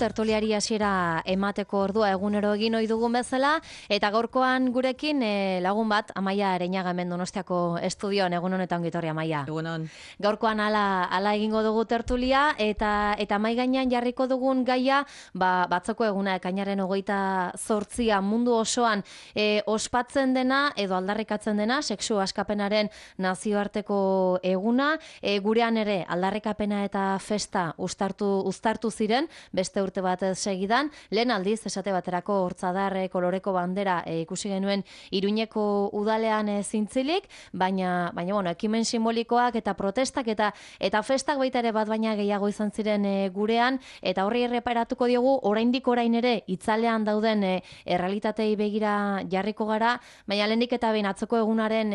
tertuliari hasiera emateko ordua egunero egin ohi dugun bezala, eta gaurkoan gurekin lagun bat, Amaia Areñaga hemen Donostiako estudioan, egun honetan gitorri Amaia. Egunon. Gaurkoan hala egingo dugu tertulia, eta mai gainean jarriko dugun gaia, batzoko eguna ekainaren 28 mundu osoan ospatzen dena, edo aldarrikatzen dena, sexu askapenaren nazioarteko eguna, gurean ere aldarrikapena eta festa uztartu ziren, beste urte bat segidan, lehen aldiz, esate baterako hortzadar koloreko bandera ikusi genuen Iruñeko udalean zintzilik, baina bueno, ekimen simbolikoak eta protestak eta festak baita ere bat baina gehiago izan ziren gurean, eta horri erreparatuko diogu, orain ere itzalean dauden errealitatei begira jarriko gara, baina lehendik eta behin atzoko egunaren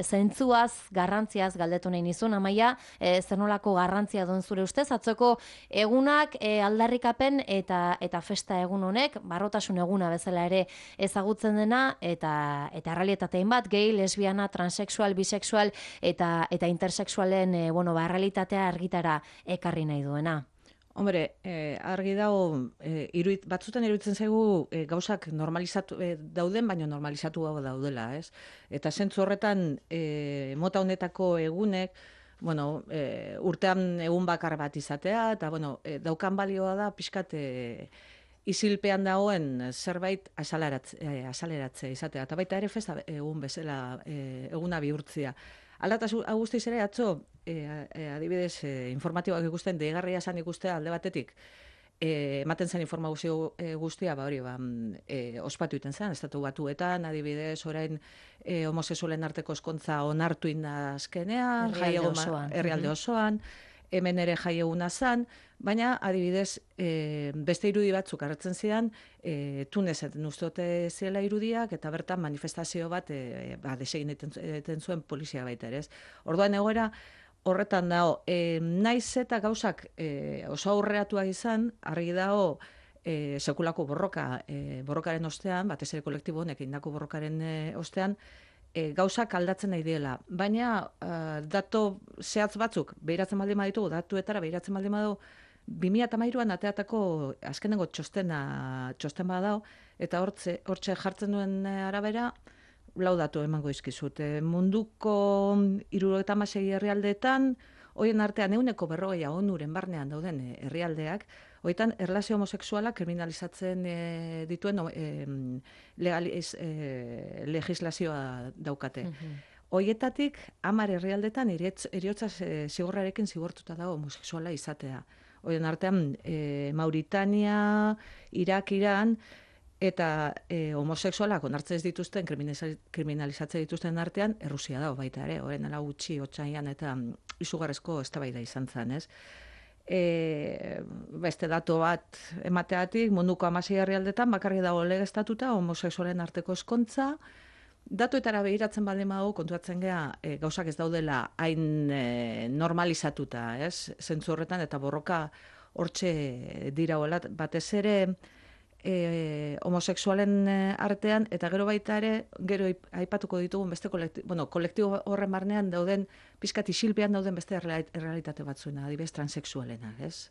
zentzuaz, garrantziaz galdetu nahi nizun, Amaia, zer nolako garrantzia duen zure ustez, atzoko egunak aldarrikapen eta festa egun honek, barrotasun eguna bezala ere ezagutzen dena, eta errealitatein bat, gay, lesbiana, transexual, bisexual eta intersexualen realitatea argitara ekarri nahi duena. Hombre, argi dago, batzutan iruditzen zaigu gauzak normalizatu dauden, baina normalizatu daudela, ez? Eta zentzu horretan, mota honetako egunek, urtean egun bakar bat izatea, eta daukan balioa da pixkat isilpean dagoen zerbait azaleratzea izatea, eta baita ere festa egun bezala eguna bihurtzia. Aldataz guztiz ere, atzo, adibidez, informatiboak ikusten, deigarria esan ikustea alde batetik, ematen zen informazio guztia, ospatu iten zen, estatu batuetan, adibidez, orain homosexualen arteko ezkontza onartu azkenean, herrialde osoan, hemen ere jai eguna zen, baina adibidez beste irudi batzuk hartzen zidan, Tunezen uste zela irudiak, eta bertan manifestazio bat desegin eten zuen polizia baita ere. Orduan egoera horretan dago, naiz eta gauzak oso aurreratuak izan, argi dago sekulako borrokaren ostean, batez ere kolektibo honek indako borrokaren ostean, gauzak aldatzen nahi diela. Baina dato zehatz batzuk, behiratzen baldin baditugu, datuetara behiratzen baldin badu, 2013an ateatako azkenengo txosten bat dago, eta hortxe jartzen duen arabera, lau datu emango izkizut. Munduko 76 herrialdeetan, horien artean 40% onuren barnean dauden herrialdeak, horietan erlazio homosexuala kriminalizatzen dituen legislazioa daukate. Horietatik 10 herrialdetan heriotza zigorrarekin zigortuta dago homosexuala izatea. Horien artean Mauritania, Irak, Iran, eta homosexualak onartzen ez dituzten, kriminalizatzen dituzten artean, Errusia dago baita ere, horren ala gutxi, otsaian eta izugarrezko eztabaida izan zen, ez? Beste datu bat emateatik, munduko 16 herrialdetan bakarrik dago legeztatuta homosexualen arteko ezkontza. Datuetara behiratzen baldin badago, kontuatzen gea gauzak ez daudela hain normalizatuta, ez? Zentzu horretan eta borroka hortxe dira batez ere homosexualen artean, eta gero baita ere, gero aipatuko ditugun beste kolektibo horren barnean dauden, pizkat isilpean dauden beste errealitate batzuena, adibidez transexualena, ez?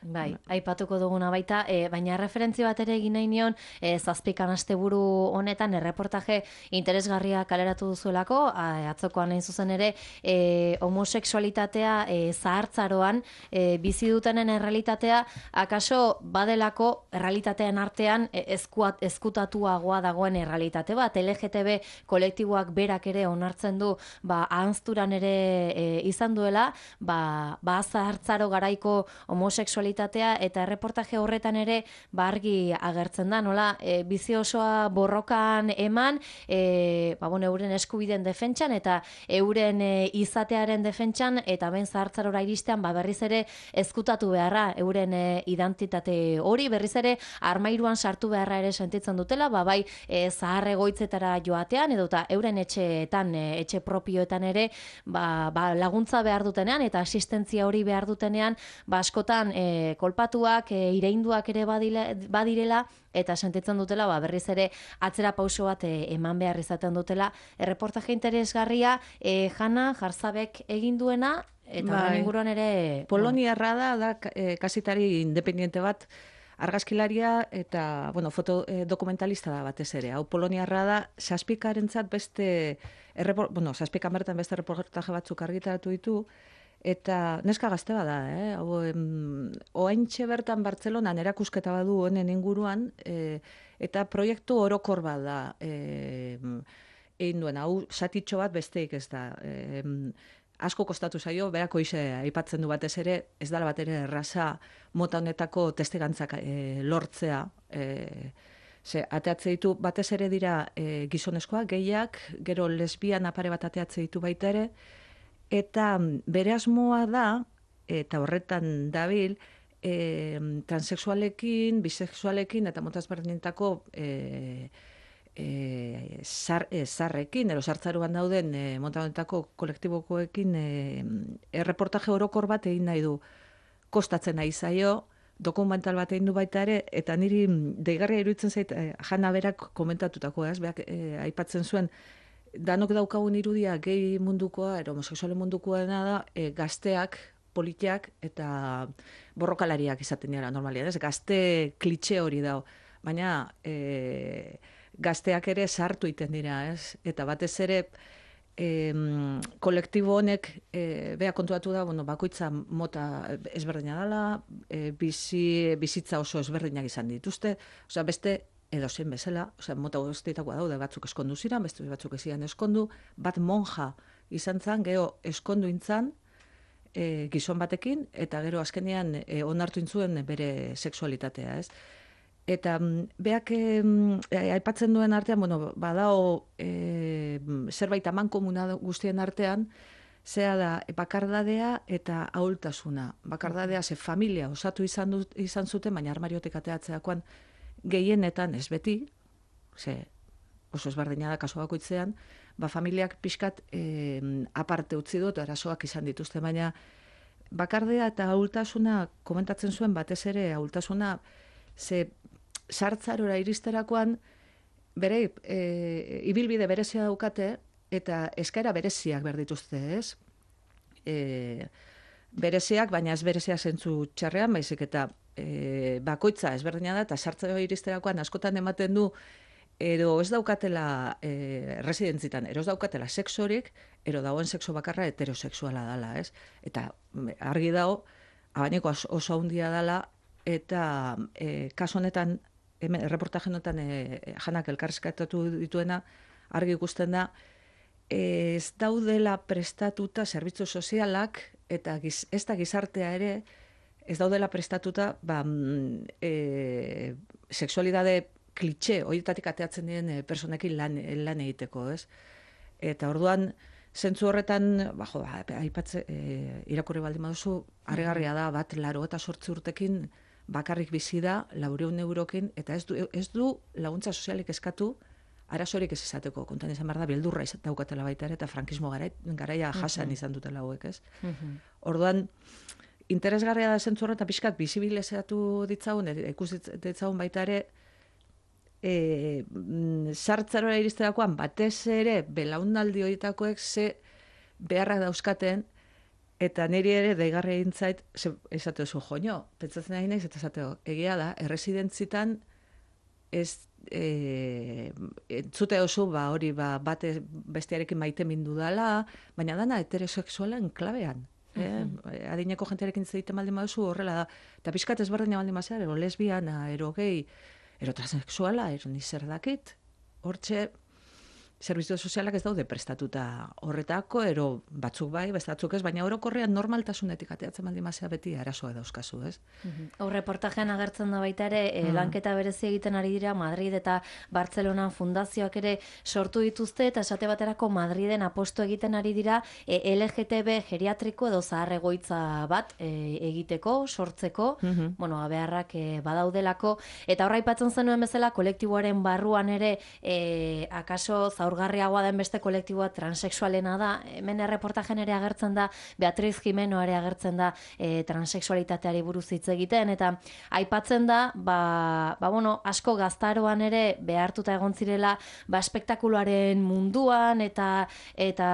Bai, aipatuko duguna baita, baina referentzia bat ere egin nahi nion, zazpikan asteburu honetan erreportaje interesgarria kaleratu duzuelako, atzokoan hain zuzen ere, homosexualitatea zahartzaroan bizi dutenen errealitatea, akaso badelako errealitatean artean ezkutatuagoa dagoen errealitate bat, LGTB kolektiboak berak ere onartzen du, ahanzturan ere izan duela, zahartzaro garaiko homosexualitatea, eta erreportaje horretan ere argi agertzen da, nola, bizi osoa borrokan eman, euren eskubideen defentsan, eta euren izatearen defentsan, eta ben zahartzarora iristean, berriz ere ezkutatu beharra, euren identitate hori, berriz ere armairuan sartu beharra ere sentitzen dutela, bai zahar egoitzetara joatean, edota euren etxeetan, etxe propioetan ere, laguntza behar dutenean eta asistentzia hori behar dutenean, askotan kolpatuak, ireinduak ere badirela, eta sentitzen dutela berriz ere atzera pauso bat eman behar izaten dutela. Erreportaje interesgarria Jana Jarzabek egin duena, eta horren inguruan ere... Poloniarra da kazetari independiente bat, argazkilaria eta, bueno, foto dokumentalista da batez ere. Hau poloniarra da, Zazpikarentzat beste, Zazpika bertan beste reportaje batzuk argitaratu ditu, eta neska gazte bada, hau, oaintxe bertan Bartzelonan erakusketa badu honen inguruan, eta proiektu orokor bada egin duen, hau satitxo bat besteik ez da. Asko kostatu zaio, berako aipatzen du batez ere, ez dala bat ere erraza mota honetako testegantzak lortzea. Ateatze ditu, batez ere dira gizonezkoak, gehiak, gero lesbian apare bat ateatze ditu baita ere, eta bere asmoa da, eta horretan dabil, transexualekin, bisexualekin, eta mota ezberdinetako zarrekin, sartzaruan dauden mota honetako kolektibokoekin erreportaje orokor bat egin nahi du. Kostatzen nahi zaio, dokumental bat egin du baita ere, eta niri deigarria iruditzen zait, Jana berak komentatutako, beak aipatzen zuen, danok daukagun irudia gehi mundukoa, homosexualen mundukoena da, gazteak, politiak eta borrokalariak izaten dira normalian, ez? Gazte klitxe hori dago, baina gazteak ere sartu iten dira, ez? Eta batez ere kolektibo honek bea kontuatu da, bakoitza mota ezberdina dela, bizitza oso ezberdinak izan dituzte, osea beste edozein bezala, osea mota guztietakoa daude, batzuk eskondu ziren, beste batzuk ezian eskondu, bat monja izan zen, geho eskondu intzan, gizon batekin, eta gero azkenean onartu intzuen bere sexualitatea, ez? Eta beak aipatzen duen artean, badao zerbait amankomuna guztien artean, zea da bakardadea eta ahultasuna. Bakardadea ze familia osatu izan zuten, baina armariotik ateatzeakoan gehienetan ez beti, ze oso ezberdina da kasu bakoitzean, familiak pixkat aparte utzi dut, arazoak izan dituzte, baina bakardea eta ahultasuna komentatzen zuen batez ere ahultasuna, ze sartzarora iristerakoan bere ibilbide berezia daukate eta eskaera bereziak behar dituzte, ez? Bereziak, baina ez bereziak zentzu txarrean, baizik eta bakoitza ezberdina da, eta sartzarora iristerakoan askotan ematen du ero ez daukatela residentzitan, ero ez daukatela sexorik, ero dagoen sexo bakarra heterosexuala dela, ez? Eta argi dago, abaniko oso handia dela, eta kasu honetan, reportaje honetan Janak elkarrizketatu dituena, argi ikusten da, ez daudela prestatuta zerbitzu sozialak, eta ez da gizartea ere, ez daudela prestatuta sexualidade klitxe, horietatik ateatzen diren personekin lan egiteko, ez? Eta orduan, zentzu horretan, irakurri baldin baduzu, harrigarria da, bat 88 urtekin bakarrik bizi da, 400 eurokin, eta ez du laguntza sozialik eskatu, arazorik ez izateko, kontan izan behar da, beldurra daukatela baita ere, eta frankismo garaia jasan izan dutela hauek, ez? Orduan, interesgarria da zentzu horretan, pixkat, bizibilizatu ditzagun, ikus ditzagun baita ere, sartzarora iristerakoan batez ere belaunaldi horietakoek ze beharrak dauzkaten, eta niri ere deigarri egin zait esateo zu joño, pentsatzen nahi naiz eta esateo, egia da, erresidentzitan ez entzute oso hori bate bestearekin maite mindu dala, baina dana heterosexualen klabean. Adineko jentearekin zeiten baldin baduzu horrela da, eta pixkat ezberdina baldin bazea, ero lesbiana, ero gay, ero transexuala, ero nizer dakit, hortxe, zerbitzu sozialak ez daude prestatuta horretako, ero batzuk bai, batzuk ez, baina orokorrean normaltasunetik ateatzen baldin mazea beti arazoa dauzkazu, ez? Hor reportajean agertzen da baita ere, lanketa berezi egiten ari dira Madrid eta Bartzelonan fundazioak ere sortu dituzte, eta esate baterako Madriden apostu egiten ari dira LGTB geriatriko edo zahar egoitza bat egiteko, sortzeko, beharrak badaudelako, eta horra aipatzen zenuen bezala kolektiboaren barruan ere akaso zaur zaurgarriagoa den beste kolektiboa transexualena da. Hemen erreportajen ere agertzen da, Beatriz Jimeno ere agertzen da transexualitateari buruz hitz egiten, eta aipatzen da, bueno, asko gaztaroan ere behartuta egon zirela, espektakuloaren munduan eta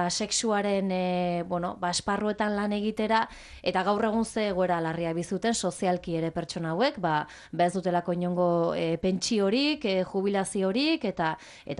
sexuaren bueno, esparruetan lan egitera, eta gaur egun ze egoera larria bizuten sozialki ere pertsona hauek, ez dutelako inongo pentsiorik, jubilaziorik, eta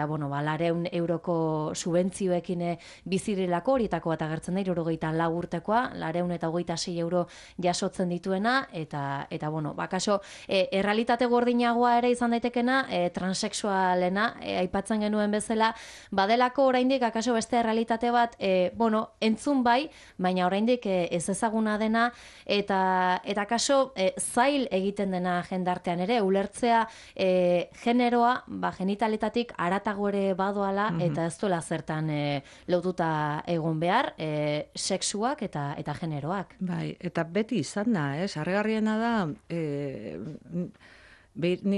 bueno, 200 € subentzioekin bizirilako, horietako bat agertzen da, 74 urtekoa, 226 € jasotzen dituena, eta bueno, kaso, errealitate gordinagoa ere izan daitekena, transexualena, aipatzen genuen bezala, badelako oraindik akaso beste errealitate bat, bueno, entzun bai, baina oraindik ez ezaguna dena, eta kaso zail egiten dena jendartean ere, ulertzea generoa, genitaletatik haratago ere badoala, eta ez duela zertan lotuta egon behar, sexuak eta generoak. Bai, eta beti izan da, harrigarriena da,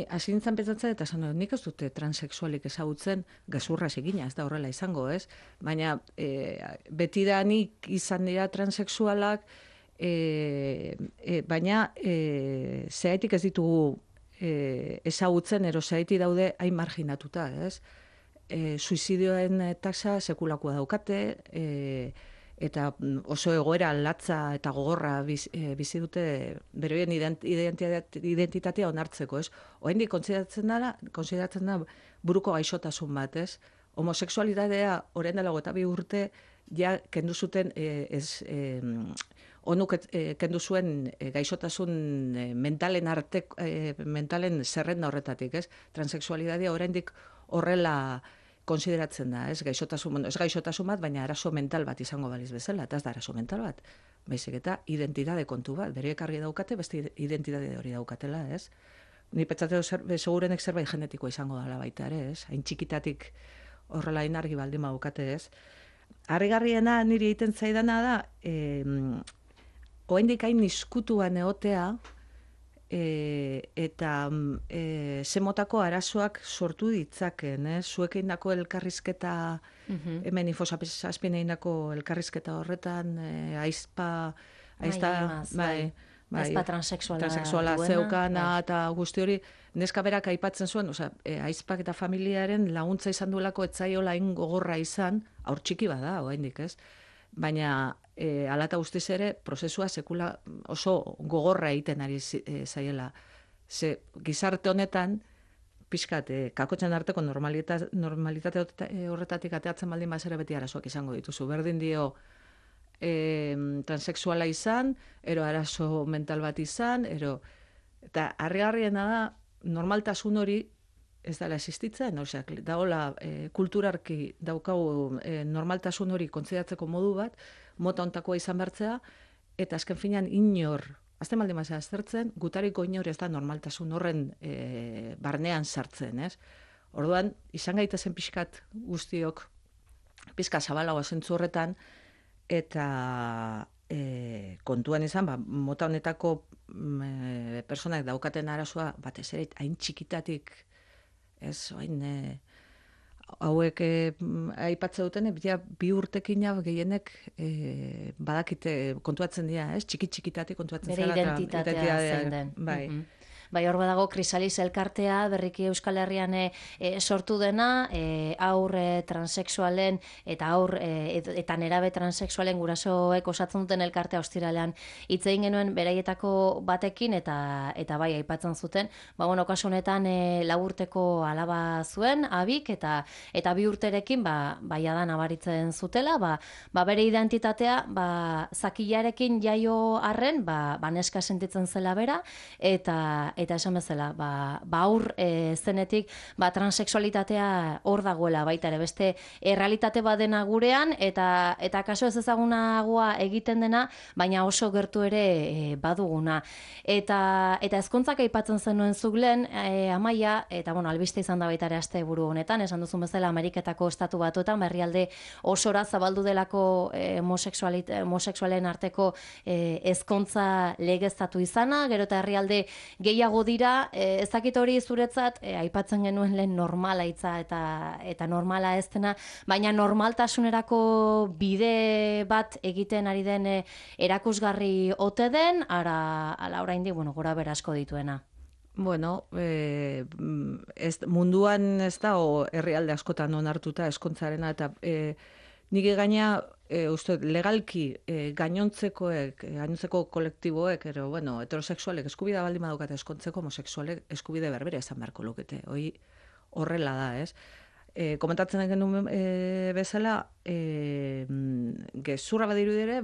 hasi nintzen pentsatzen, eta esan dut, nik ez dute transexualik ezagutzen, gezurra egina, ez da horrela izango, ez? Baina beti da nik izan dira transexualak, baina zehaitik ez ditugu ezagutzen, zehaitik daude hain marginatuta, ez? Suizidioen taxa sekulakoa daukate, eta oso egoera latza eta gogorra bizi dute beroien identitatea onartzeko, ez? Oraindik kontsideratzen da buruko gaixotasun bat, ez? Homosexualitatea orain dela 22 urte ja kendu zuten onuk kendu zuen gaixotasun mentalen zerrenda horretatik, ez? Transexualitatea oraindik horrela konsideratzen da, ez gaixotasun bat, baina arazo mental bat izango baliz bezala, eta ez da arazo mental bat, baizik eta identitate kontu bat, beriek argi daukate, beste identitate hori daukatela, ez? Ni pentsatu segurenek zerbait genetikoa izango dela baita ere, ez? Hain txikitatik horrela inargi baldin daukate, ez? Harrigarriena niri egiten zaidana da, oraindik hain izkutuan egotea, eta zemotako arazoak sortu ditzaken, zuek egindako elkarrizketa, hemen Infosapien egindako elkarrizketa horretan, aizpa transexuala zeukana, eta guzti hori, neska berak aipatzen zuen, aizpak eta familiaren laguntza izan duelako etzaiola hain gogorra izan, haur txiki bada, oraindik, ez? Baina hala eta guztiz ere, prozesua sekula oso gogorra egiten ari zaiela. Ze gizarte honetan, pixkat, kakotzen arteko normalitate horretatik ateatzen baldin bazera beti arazoak izango dituzu. Berdin dio transexuala izan, arazo mental bat izan, eta harrigarriena da, normaltasun hori ez dela existitzen, dagoela kulturarki daukagu normaltasun hori kontzeratzeko modu bat, mota ontakoa izan bertzea, eta azken finean inor, azten baldin mazera aztertzen, gutariko inor ez da normaltasun horren barnean sartzen, ez? Orduan, izan gaitezen pixkat guztiok, pixka zabalagoa zentzu horretan, eta kontuan izan, mota honetako personak daukaten arazoa, batez ere, hain txikitatik, ez, hauek aipatze duten, bi urtekina gehienek badakite kontuatzen dira, ez? Txikitatik kontuatzen zela. Bere identitatea zein den. Bai. Bai, hor badago Krisalis elkartea, berriki Euskal Herrian sortu dena, aur transexualen eta eta nerabe transexualen gurasoek osatzen duten elkartea ostiralean hitz egin genuen beraietako batekin eta bai aipatzen zuten. Bueno, kasu honetan 4 urteko alaba zuen, abik, eta 2 urterekin baia da nabaritzen zutela, bere identitatea zakilarekin jaio arren, neska sentitzen zela bera, eta esan bezala, aur zenetik, transexualitatea hor dagoela baita ere, beste errealitate badena gurean, eta kaso ez ezagunagoa egiten dena, baina oso gertu ere baduguna. Eta ezkontzak aipatzen zenuen zuglen, Amaia, eta albiste izan da baita ere asteburu honetan, esan duzun bezala Ameriketako estatu batuetan, herrialde osora zabaldu delako homosexualen arteko ezkontza legeztatu izana, gero eta herrialde gehiago gehiago dira, ez dakit hori zuretzat, aipatzen genuen lehen normala hitza eta normala ez dena, baina normaltasunerako bide bat egiten ari den erakusgarri ote den, ala oraindik, gora bera asko dituena. Bueno, munduan ez da, herrialde askotan onartuta eskontzarena, eta nik gaina, uste, legalki gainontzeko kolektiboek, heterosexualek eskubidea baldin badukate eskontzeko, homosexualek eskubide berbere esan beharko lukete. Horrela da, ez? Komentatzen genuen bezala, gezurra badiru dire,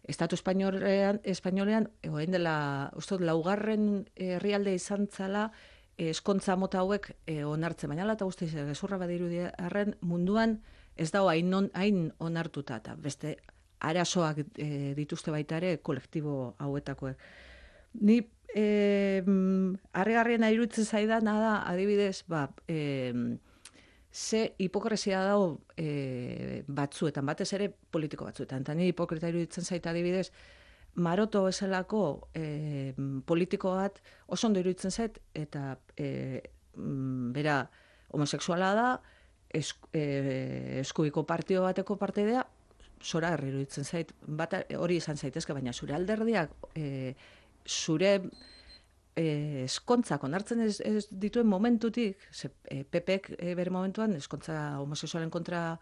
Estatu espainolean, orain dela, uste, laugarren herrialde izan zala, eskontza mota hauek onartzen, baina eta guztiz, gezurra badiru arren munduan ez dago hain onartuta, eta beste arazoak dituzte baita ere kolektibo hauetakoek. Ni harrigarriena iruditzen zaidana da, adibidez, ze hipokresia dago batzuetan, batez ere politiko batzuetan. Eta ni hipokrita iruditzen zaita adibidez, Maroto bezalako politiko bat oso ondo iruditzen zait, eta bera homosexuala da, eskubiko partio bateko parteidea, zora herri iruditzen zait, hori izan zaitezke, baina zure alderdiak, zure eskontzak onartzen ez dituen momentutik, PPek bere momentuan eskontza homosexualen kontra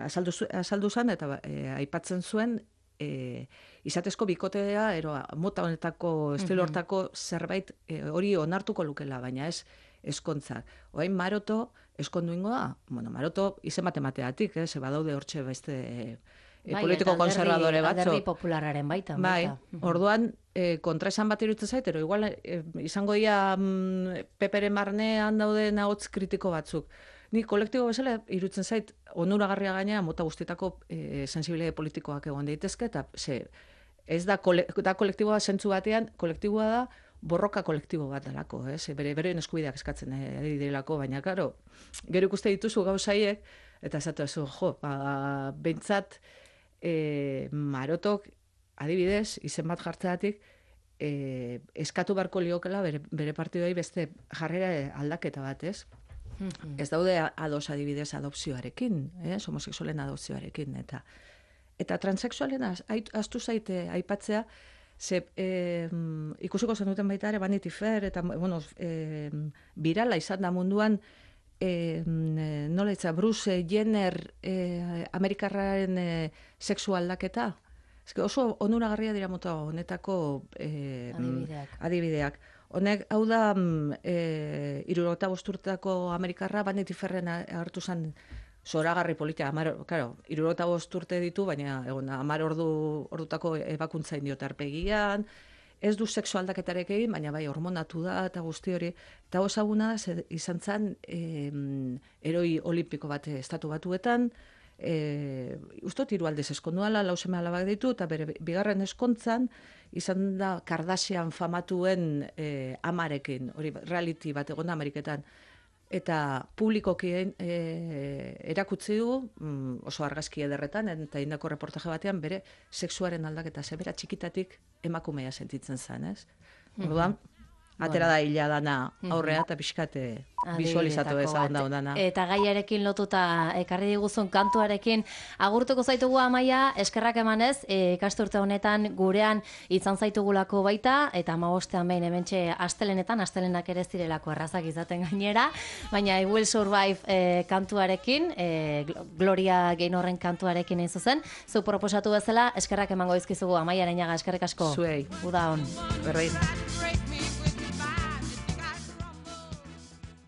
azaldu zen, eta aipatzen zuen izatezko bikotea, mota honetako, estilo hortako zerbait hori onartuko lukela, baina ez eskontzak. Orain Maroto eskondu ingo da? Maroto izen matemateatik, ze badaude hortxe beste politiko konservadore batzu. Alderdi populararen baita. Orduan, kontraesan bat iruditzen zait, igual izango dira peperen barnean dauden ahots kritiko batzuk. Ni kolektibo bezala iruditzen zait, onuragarria gaina mota guztietako sensibilitate politikoak egon daitezke, eta ez da kolektiboa zentzu batean, kolektiboa da borroka kolektibo bat dalako, beren eskubideak eskatzen ari direlako, baina, klaro, gero ikuste dituzu gauzaiek, eta esatu ezu, behintzat, Marotok, adibidez, izen bat jartzeatik, eskatu barko liokela bere partidoi beste jarrera aldaketa bat, ez? Ez daude ados adibidez adopzioarekin, homosexualen adopzioarekin, eta transexualen astu zaite aipatzea, ikusiko zenuten baita ere Vanity Fair, eta, birala izan da munduan, nola itza, Bruce Jenner Amerikarraren sexu aldaketa. Oso onuragarria dira mota honetako adibideak. Honek, hau da, 75 urteko Amerikarra Vanity Fairren hartu zen zoragarri politika. 75 urte ditu, baina 10 ordutako ebakuntza indiot arpegian, ez du sexu aldaketarekin egin, baina bai hormonatu da eta guzti hori. Eta osaguna da, izan zen heroi olimpiko bat estatu batuetan, ustot 3 aldez eskonduala, 4 seme alabak ditu, eta bere bigarren eskontzan, izan da Kardashian famatuen amarekin, hori reality bat egon da Ameriketan. Eta publikoki erakutsi du, oso argazki ederretan, eta indako reportaje batean, bere sexuaren aldaketa, bera txikitatik emakumea sentitzen zen, ez? Orduan, atera da hila dana aurrea, eta pixkate visualizatu ezagun daudana. Eta gaiarekin lotuta ekarri diguzun kantuarekin agurtuko zaitugu Amaia, eskerrak emanez, ikasturte honetan gurean izan zaitugulako baita, eta 15ean behin hementxe astelenak ere zirelako errazak izaten gainera, baina I Will Survive kantuarekin, Gloria Gaynorren kantuarekin egin zuzen, zu proposatu bezala, eskerrak emango dizkizugu Amaia Areñaga, eskerrik asko. Zuei. Uda on. Berrein.